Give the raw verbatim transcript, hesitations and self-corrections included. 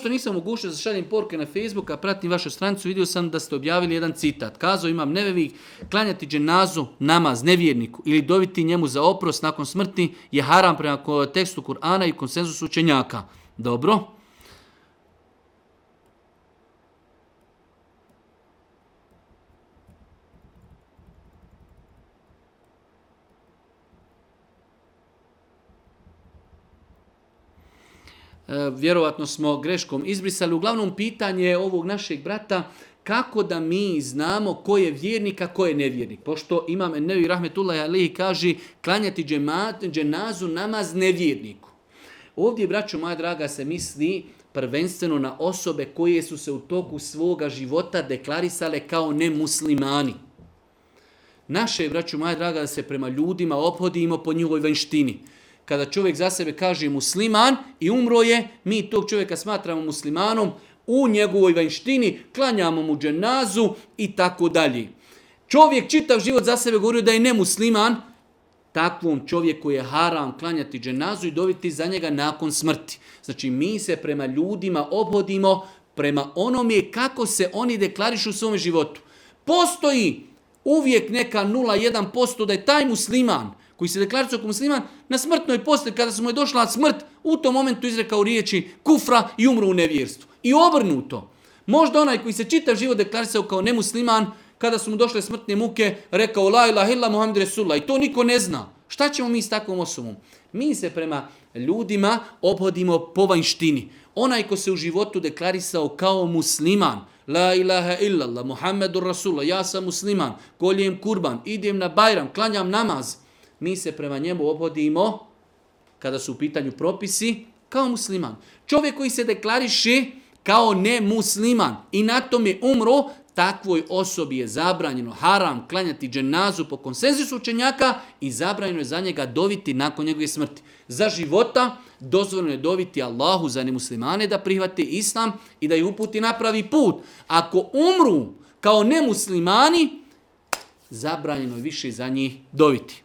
Što nisam mogućio da šaljem poruke na Facebook, a pratim vašu stranicu, vidio sam da ste objavili jedan citat. Kazao Imam Nevevi, klanjati dženazu, namaz, nevjerniku ili dobiti njemu za oprost nakon smrti je haram prema tekstu Kur'ana i konsenzusu učenjaka. Dobro. Vjerovatno smo greškom izbrisali. Uglavnom pitanje ovog našeg brata, kako da mi znamo ko je vjernik, a ko je nevjernik. Pošto Imam Nevevi rahmetullahi alejhi kaže klanjati džemat, dženazu, namaz nevjerniku. Ovdje, braćo moja draga, se misli prvenstveno na osobe koje su se u toku svoga života deklarisale kao nemuslimani. Naše, braćo moja draga, da se prema ljudima ophodimo po njihovoj vanjštini. Kada čovjek za sebe kaže musliman i umro je, mi tog čovjeka smatramo muslimanom, u njegovoj vanjštini klanjamo mu dženazu i tako dalje. Čovjek čitav život za sebe govorio da je nemusliman, takvom čovjeku je haram klanjati dženazu i dobiti za njega nakon smrti. Znači mi se prema ljudima ophodimo prema onome kako se oni deklarišu u svom životu. Postoji uvijek neka nula zarez jedan posto da je taj musliman koji se deklaricio kao musliman, na smrtnoj postelji, kada su mu je došla smrt, u tom momentu izrekao riječi kufra i umro u nevjerstvu. I obrnuto. Možda onaj koji se čitav život deklarisao kao nemusliman, kada su mu došle smrtne muke, rekao la ilaha illa Muhammed Resulullah. I to niko ne zna. Šta ćemo mi s takvom osobom? Mi se prema ljudima ophodimo po vanjštini. Onaj ko se u životu deklarisao kao musliman, la ilaha illallah, Muhammedur Rasulullah, ja sam musliman, koljem kurban, idem na Bajram, klanjam namaz, mi se prema njemu ophodimo, kada su u pitanju propisi, kao musliman. Čovjek koji se deklariše kao nemusliman i na tome umro, takvoj osobi je zabranjeno haram klanjati dženazu po konsenzusu učenjaka i zabranjeno je za njega doviti nakon njegove smrti. Za života dozvoljeno je doviti Allahu za nemuslimane da prihvate islam i da ih uputi na pravi put. Ako umru kao nemuslimani, zabranjeno je više za njih doviti.